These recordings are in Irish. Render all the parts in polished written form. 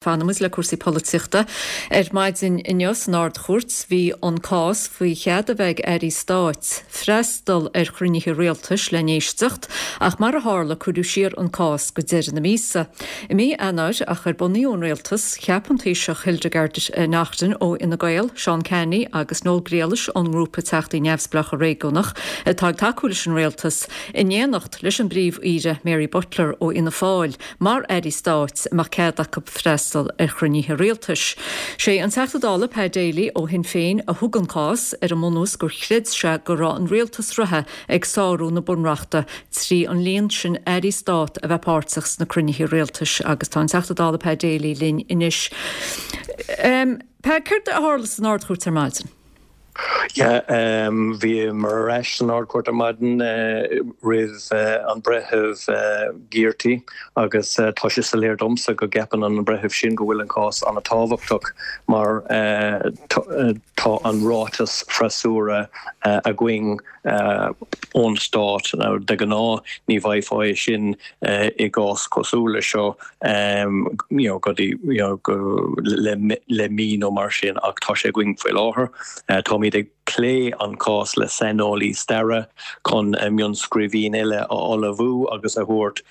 Fanfaimid le cúrsaí polaitíochta. Ar maidin inniu san Ard-Chúirt bhí an cás faoi chead a bheith ag airí stáit freastal ar chruinnithe rialtais le n-éisteacht ach mar a tharla cuireadh siar an cás go deireadh na míosa. I mí Eanáir ach ar bunaíodh an rialtas, cheap an Taoiseach Hildegarde Naughton ó Fhine Gael, Seán Canney agus Noel Grealish ón ngrúpa Teachtaí Neamhspleácha Réigiúnach atá ag tacú leis an rialtas, in éineacht leis an bPríomh-Aoire Mary Butler ó Fhianna Fáil. mar airí stáit a mbeadh cead acu freastal ar chruinnithe rialtais. Sé an Teachta Dála Pat Daly ó Shinn Féin a thug an cás, ar an mbunús gur chreid sé go raibh an rialtas reatha ag sárú na bunreachta trí an líon sin airí stát a bheith páirteach sna cruinnithe rialtais agus tá an Teachta Dála Pat Daly linn anois. Pat, céard a tharla san Ard-Chúirt ar maidin? Yeah, bhíomar ar ais san Ard-Chúirt ar maidin roimh an Breitheamh Gearty agus tá sé soiléir domsa go gceapann an breitheamh sin go bhfuil an cás an-tábhachtach mar tá an ráiteas freasúra againn ón Stát. Now, de ghnáth ní bhfaighfeá é sin i gcás cosúil le seo you know go dtí you know go le le mí nó mar sin ach tá sé againn faoi láthair. Táimid ag plé an cás le saineolaí staire chun mionnscríbhinn eile a ullmhú agus a thabhairt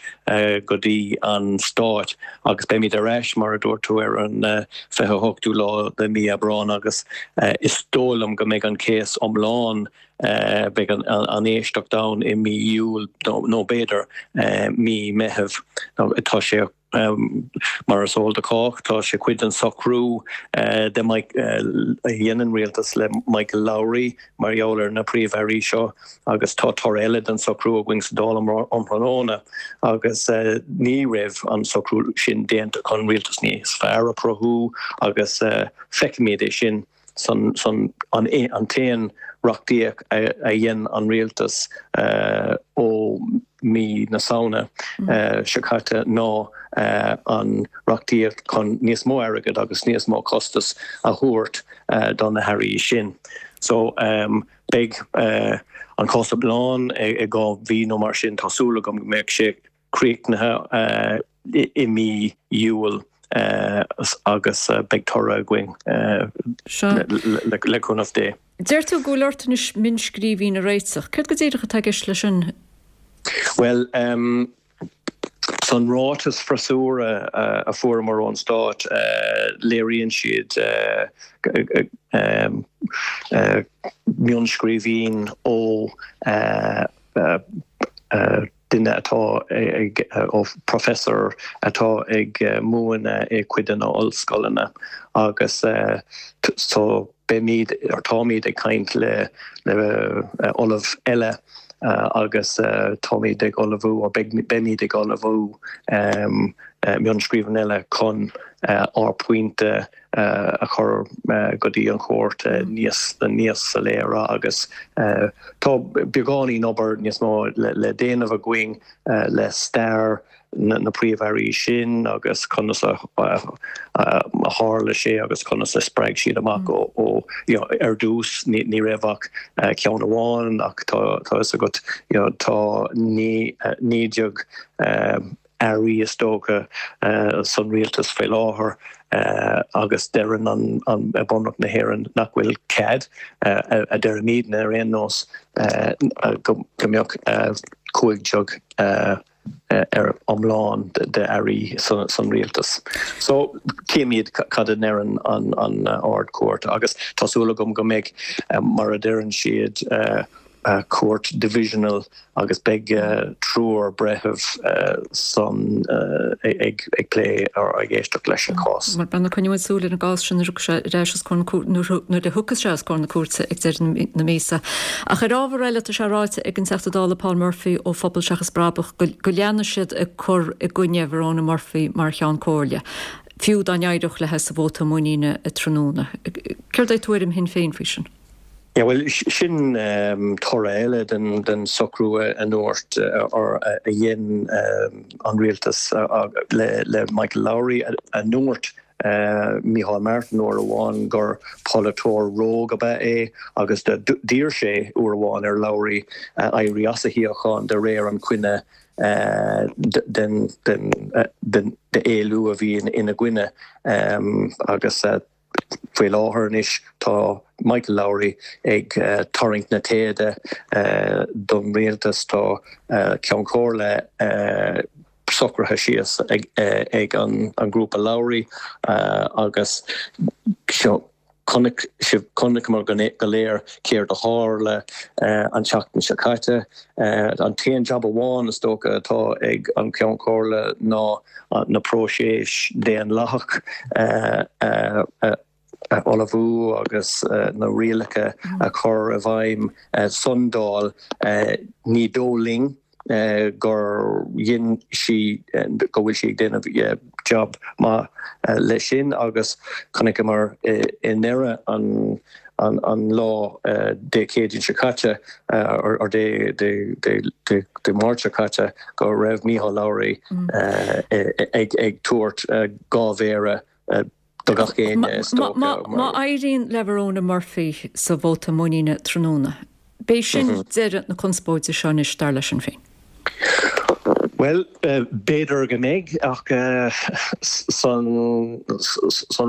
go dtí an Stát agus beimid ar ais mar a dúirt tú ar an 28ú lá de mí Aibreán agus is dóigh liom go mbeidh an céas iomlán Beidh an éisteacht ann i mí Iúil nó b'fhéidir mí Meitheamh. Tá sé, mar is eol do chách, tá sé cuid den socrú de a dhein an rialtas le Michael Lowry mar gheall ar na príomh-airí seo agus tá toradh eile den socrú againn sa Dáil um thráthnóna agus ní raibh an socrú sin déanta chun rialtas níos fearr a chruthú agus feicfimid é sin. san an t-aon reachtaíocht a dhein an rialtas ó mí na Samhna seo caite ná an reachtaíocht chun níos mó airgid agus níos mó costas a thabhairt do na hairí sin. So beidh an cás iomlán i 2 mhí nó mar sin. Tá súil agam go mbeidh sé críochnaithe i mí Iúil agus beidh toradh againn le cúnamh Dé. Deir tú go bhfuil ort anois mionnscríbhinn a réiteach. Céard go díreach atá i gceist leis sin? Bhuel, san ráiteas freasúra a fuaireamar ón Stát, léiríonn siad mionnscríbhinn ó duine atá ag, ó professor atá ag múineadh i cuid de na ollscoileanna agus so beimid, or táimid ag caint le le ollamh eile agus táimid ag ullmhú, or beimid ag ullmhú mionnscríbhinn eile chun ár bpointe a chur go dtí an chúirt níos níos soiléire agus tá beagáinín obair níos mó le déanamh againn le stair na príomh-airí sin agus conas a tharla sé agus conas a spreag siad amach ó ar dtús ní raibh ach ceann amháin ach tá fhios agat tá 19 airí is dócha san rialtas faoi láthair agus deireann an Bunreacht na hÉireann nach bhfuil cead, a deirimidne ar aon nós, go mbeadh 15 ar iomlán de airí san rialtas. So címid cad a ndeireann an Ard-Chúirt agus tá súil agam go mbeidh, mar a deireann siad, cúirt divisional agus beidh triúr breitheamh san ag plé or ag éisteacht leis an chás. Bhuel, coinneoidh muid súil ar an gcás sin nuair a thiocfas sé ar ais os comhair na nuair a thiocfas sé os comhair na cúirte ag deireadh na míosa. Ach ar ábhar eile, tá sé ráite ag an Teachta Dála Paul Murphy ó Phobal Seachas Brabach go go leanfaidh siad ag cur i gcoinne Verona Murphy mar Cheann Comhairle, fiú dá n-éireodh léi sa vóta muiníne tráthnóna. Céard é tuairim Shinn Féin faoi sin? Yeah, bhuel, sin toradh eile den socrú a ndúirt or a dhein an rialtas le Michael Lowry, a ndúirt Micheál Martin uair amháin gur polaiteoir rogue ab ea é agus d'iarr sé uair amháin ar Lowry éirí as a shuíochán de réir an coinne. den d'éilliú a bhí ina gcoinne agus faoi láthair anois tá Michael Lowry ag tarraingt na téide don rialtas. Tá Ceann Comhairle socraithe síos ag an ngrúpa Lowry agus chonaic sibh, chonaiceamar go léir céard a tharla an tseachtain seo caite. An t-aon jab amháin is dócha atá ag an Cheann Comhairle ná na próiseas daonlathach a ullmhú agus na rialacha a chur i bhfeidhm san Dáil. Ní dóigh linn gur dhein sí, go bhfuil sí ag déanamh jab maith leis sin agus chonaiceamar i ndeireadh an an lá Dé Céadaoin seo caite, or Dé Dé Máirt seo caite, go raibh Micheál Lowry ag tabhairt dha mhéara do gach éinne is dócha. Má éiríonn le Verona Murphy sa vóta muiníne tráthnóna, beidh sin deireadh na conspóide seo anois, dar le Sinn Féin. Bhuel, b'fhéidir go mbeidh, ach san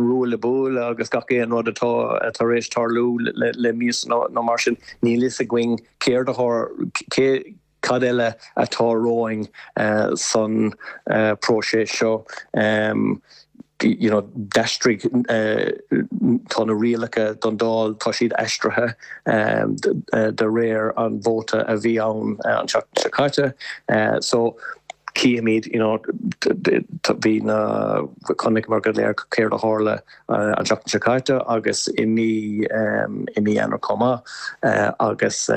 ruaille buaille agus gach aon rud atá tar éis tarlú le míosa nó mar sin, níl fhios againn céard a cé cad eile atá romhainn san próiseas seo. You know, d'aistrigh, tá na rialacha don Dáil, tá siad aistrithe de réir an vóta a bhí ann an tseachtain seo caite. So, cífimid, you know, bhí na, chonaiceamar go léir céard a tharla an tseachtain seo caite agus i mí, i mí Eanáir chomh maith agus,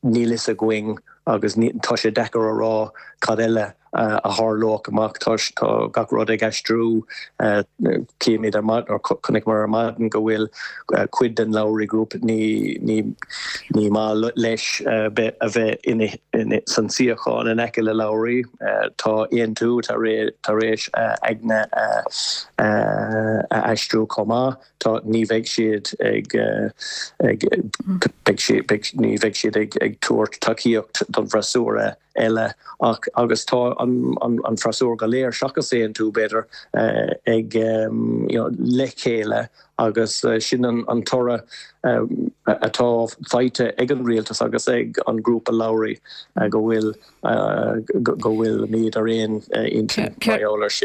Níl fhios againn agus tá sé deacair a rá cad eile a tharlódh amach. Tá gach rud ag aistriú. Címid ar maidin, nó chonaiceamar ar maidin go bhfuil cuid den Lowry Group ní ní maith leis a bheith san suíochán in aice le Lowry. Tá Aontú tar éis a aigne a aistriú chomh maith. Tá, ní bheidh siad ag, ag, beidh siad, beidh, ní bheidh siad ag, ag tabhairt tacaíocht don bhfreasúra eile ach, agus tá an, an, an freasúra go léir seachas Aontú, b'fhéidir, ag, you know, le chéile agus sin an, an toradh atá faighte ag an rialtas agus ag an grúpa Lowry go bhfuil, go bhfuilimid ar aon intinn mar gheall air sin.